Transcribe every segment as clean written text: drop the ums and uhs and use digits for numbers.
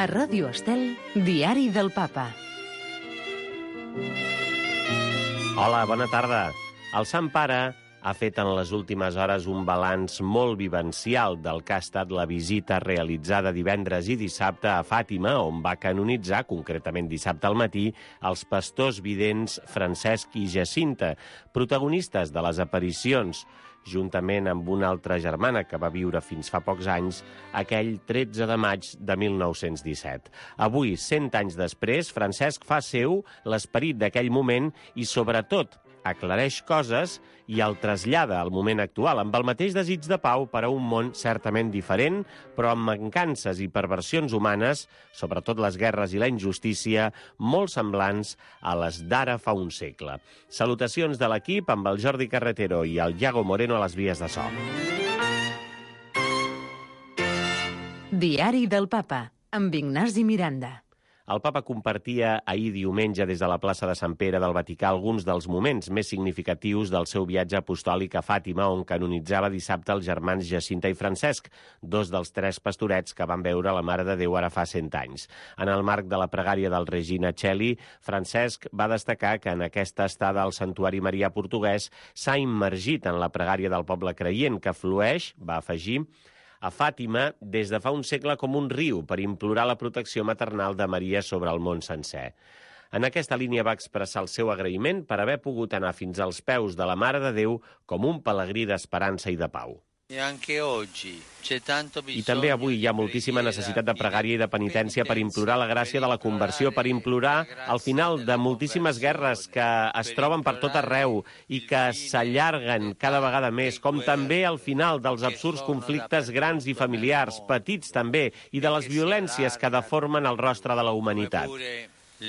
A Ràdio Estel, Diari del Papa. Hola, bona tarda. El Sant Pare ha fet en les últimes hores un balanç molt vivencial del que ha estat la visita realitzada divendres i dissabte a Fàtima, on va canonitzar, concretament dissabte al matí, els pastors vidents Francesc i Jacinta, protagonistes de les aparicions, juntament amb una altra germana que va viure fins fa pocs anys, aquell 13 de maig de 1917. Avui, 100 anys després, Francesc fa seu l'esperit d'aquell moment i, sobretot, aclareix coses i el trasllada al moment actual, amb el mateix desig de pau per a un món certament diferent, però amb mancances i perversions humanes, sobretot les guerres i la injustícia, molt semblants a les d'ara fa un segle. Salutacions de l'equip amb el Jordi Carretero i el Iago Moreno a les vies de so. Diari del Papa, amb Ignasi Miranda. El papa compartia ahir diumenge des de la plaça de Sant Pere del Vaticà alguns dels moments més significatius del seu viatge apostòlic a Fàtima, on canonitzava dissabte els germans Jacinta i Francesc, dos dels 3 pastorets que van veure la Mare de Déu ara fa 100 anys. En el marc de la pregària del Regina Coeli, Francesc va destacar que en aquesta estada al Santuari Marià portuguès s'ha immergit en la pregària del poble creient, que flueix, va afegir, a Fàtima des de fa un segle com un riu per implorar la protecció maternal de Maria sobre el món sencer. En aquesta línia va expressar el seu agraïment per haver pogut anar fins als peus de la Mare de Déu com un pelegrí d'esperança i de pau. I també avui hi ha moltíssima necessitat de pregària i de penitència per implorar la gràcia de la conversió, per implorar el final de moltíssimes guerres que es troben per tot arreu i que s'allarguen cada vegada més, com també el final dels absurds conflictes grans i familiars, petits també, i de les violències que deformen el rostre de la humanitat.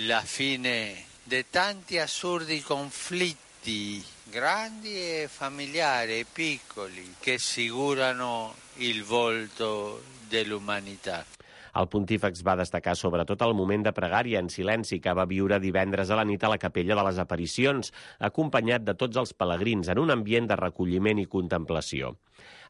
La fine de tanti assurdi conflitti grandi e familiari e piccoli che sfigurano il volto dell'umanità. El pontífex va destacar sobretot el moment de pregària en silenci que va viure divendres a la nit a la Capella de les Aparicions, acompanyat de tots els pelegrins en un ambient de recolliment i contemplació.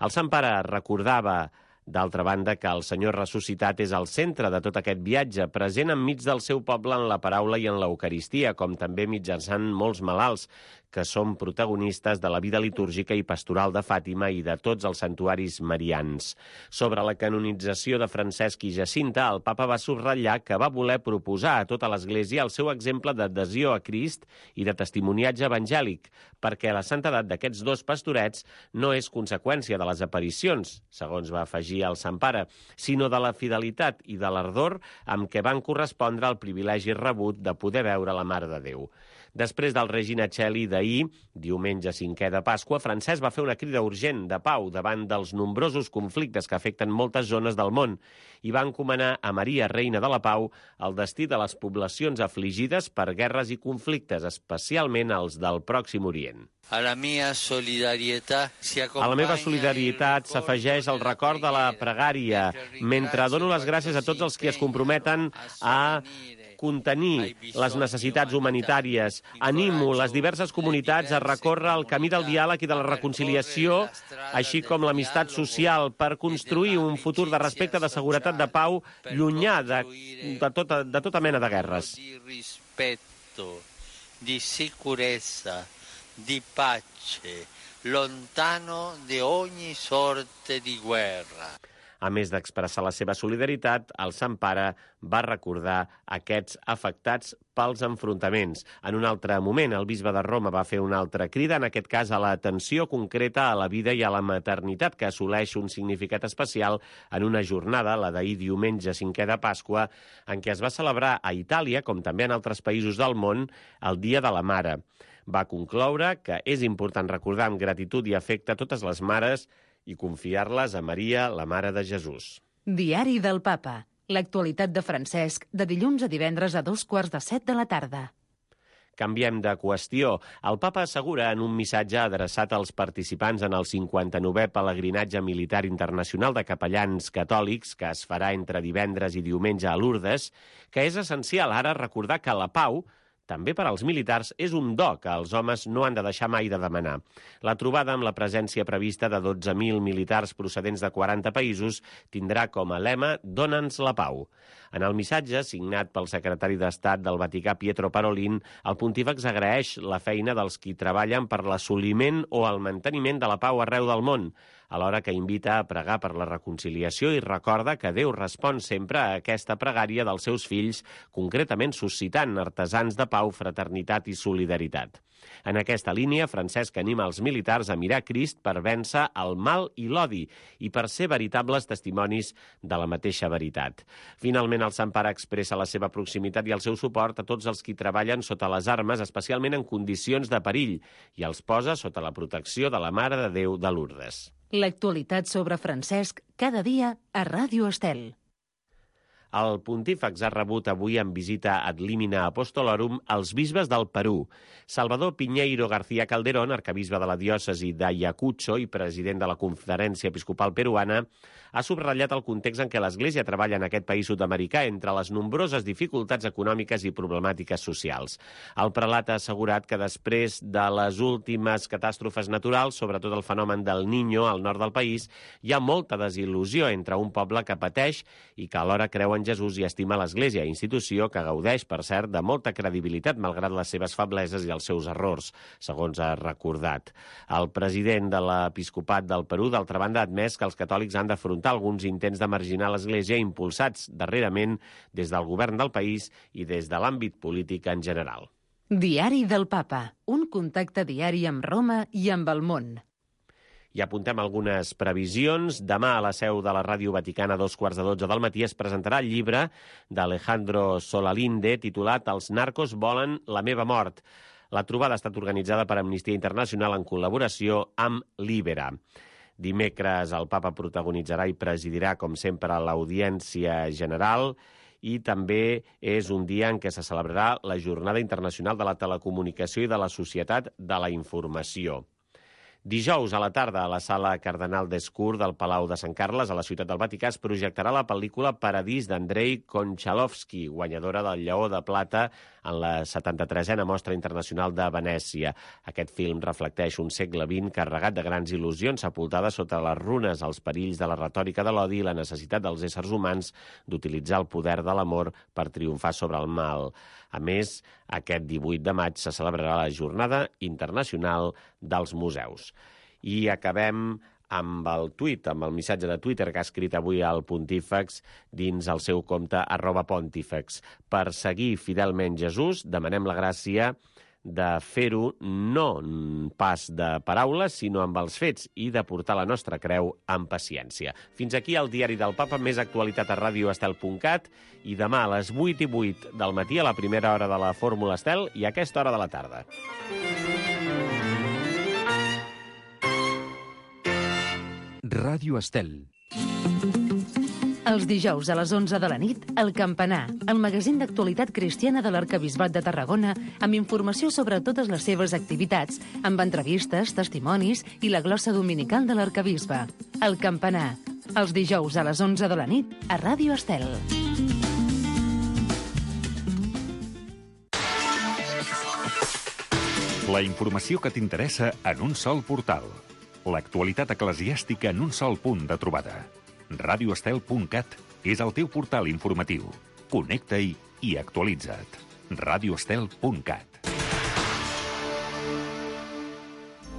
El Sant Pare recordava, d'altra banda, que el Senyor ressuscitat és al centre de tot aquest viatge, present enmig del seu poble en la paraula i en l'Eucaristia, com també mitjançant molts malalts, que són protagonistes de la vida litúrgica i pastoral de Fàtima i de tots els santuaris marians. Sobre la canonització de Francesc i Jacinta, el papa va subratllar que va voler proposar a tota l'Església el seu exemple d'adhesió a Crist i de testimoniatge evangèlic, perquè la santedat d'aquests 2 pastorets no és conseqüència de les aparicions, segons va afegir el Sant Pare, sinó de la fidelitat i de l'ardor amb què van correspondre al privilegi rebut de poder veure la Mare de Déu. Després del Regina Coeli d'ahir, diumenge 5è de Pasqua, Francesc va fer una crida urgent de pau davant dels nombrosos conflictes que afecten moltes zones del món i va encomanar a Maria, Reina de la Pau, el destí de les poblacions afligides per guerres i conflictes, especialment els del Pròxim Orient. A la meva solidaritat s'afegeix el record de la pregària, mentre dono les gràcies a tots els que es comprometen a contenir les necessitats humanitàries. Animo les diverses comunitats a recórrer el camí del diàleg i de la reconciliació, així com l'amistat social, per construir un futur de respecte, de seguretat, de pau, llunyà de tota mena de guerres. Di rispetto, di sicurezza, di pace, lontano de ogni sorte di guerra. A més d'expressar la seva solidaritat, el Sant Pare va recordar aquests afectats pels enfrontaments. En un altre moment, el bisbe de Roma va fer una altra crida, en aquest cas a l'atenció concreta a la vida i a la maternitat, que assoleix un significat especial en una jornada, la d'ahir diumenge 5è de Pasqua, en què es va celebrar a Itàlia, com també en altres països del món, el Dia de la Mare. Va concloure que és important recordar amb gratitud i afecte totes les mares i confiar-les a Maria, la Mare de Jesús. Diari del Papa. L'actualitat de Francesc, de dilluns a divendres a 6:45 de la tarda. Canviem de qüestió. El papa assegura en un missatge adreçat als participants en el 59è pelegrinatge militar internacional de capellans catòlics que es farà entre divendres i diumenge a Lourdes que és essencial ara recordar que la pau també per als militars, és un do que els homes no han de deixar mai de demanar. La trobada amb la presència prevista de 12.000 militars procedents de 40 països tindrà com a lema «Dóna'ns la pau». En el missatge, signat pel secretari d'Estat del Vaticà, Pietro Parolin, el pontífex agraeix la feina dels qui treballen per l'assoliment o el manteniment de la pau arreu del món, alhora que invita a pregar per la reconciliació i recorda que Déu respon sempre a aquesta pregària dels seus fills, concretament suscitant artesans de pau, fraternitat i solidaritat. En aquesta línia, Francesc anima els militars a mirar Crist per vèncer el mal i l'odi i per ser veritables testimonis de la mateixa veritat. Finalment, el Sant Pare expressa la seva proximitat i el seu suport a tots els qui treballen sota les armes, especialment en condicions de perill, i els posa sota la protecció de la Mare de Déu de Lourdes. L'actualitat sobre Francesc cada dia a Ràdio Estel. El pontífex ha rebut avui en visita ad limina apostolorum els bisbes del Perú. Salvador Piñeiro García Calderón, arcabisbe de la diòcesi d'Ayacucho i president de la Conferència Episcopal Peruana, ha subratllat el context en què l'Església treballa en aquest país sud-americà entre les nombroses dificultats econòmiques i problemàtiques socials. El prelat ha assegurat que després de les últimes catàstrofes naturals, sobretot el fenomen del Niño al nord del país, hi ha molta desil·lusió entre un poble que pateix i que alhora creu en Jesús i estima l'Església, institució que gaudeix, per cert, de molta credibilitat malgrat les seves febleses i els seus errors, segons ha recordat. El president de l'Episcopat del Perú, d'altra banda, ha admès que els catòlics han d'afrontar alguns intents de marginar l'Església impulsats darrerament des del govern del país i des de l'àmbit polític en general. Diari del Papa, un contacte diari amb Roma i amb el món. I apuntem algunes previsions. Demà a la seu de la Ràdio Vaticana a 2:15 del matí es presentarà el llibre d'Alejandro Solalinde titulat «Els narcos volen la meva mort». La trobada ha estat organitzada per Amnistia Internacional en col·laboració amb Libera. Dimecres el papa protagonitzarà i presidirà, com sempre, l'audiència general i també és un dia en què se celebrarà la Jornada Internacional de la Telecomunicació i de la Societat de la Informació. Dijous a la tarda a la Sala Cardenal d'Escur del Palau de Sant Carles, a la Ciutat del Vaticà, es projectarà la pel·lícula Paradís d'Andrei Konchalovsky, guanyadora del Lleó de Plata en la 73a Mostra Internacional de Venècia. Aquest film reflecteix un segle XX carregat de grans il·lusions, sepultada sota les runes, els perills de la retòrica de l'odi i la necessitat dels éssers humans d'utilitzar el poder de l'amor per triomfar sobre el mal. A més, aquest 18 de maig se celebrarà la Jornada Internacional dels Museus. I acabem amb el tuit, amb el missatge de Twitter que ha escrit avui el pontífex dins el seu compte @pontífex. Per seguir fidelment Jesús, demanem la gràcia de fer-ho no pas de paraules, sinó amb els fets i de portar la nostra creu amb paciència. Fins aquí el Diari del Papa, més actualitat a radioestel.cat i demà a les 8:08 del matí a la primera hora de la Fórmula Estel i a aquesta hora de la tarda. Ràdio Estel. Els dijous a les 11 de la nit, El Campanar, el magazín d'actualitat cristiana de l'Arquebisbat de Tarragona, amb informació sobre totes les seves activitats, amb entrevistes, testimonis i la glossa dominical de l'Arquebisbe. El Campanar, els dijous a les 11 de la nit, a Ràdio Estel. La informació que t'interessa en un sol portal. L'actualitat eclesiàstica en un sol punt de trobada. radioestel.cat és el teu portal informatiu. Connecta-hi i actualitza't. radioestel.cat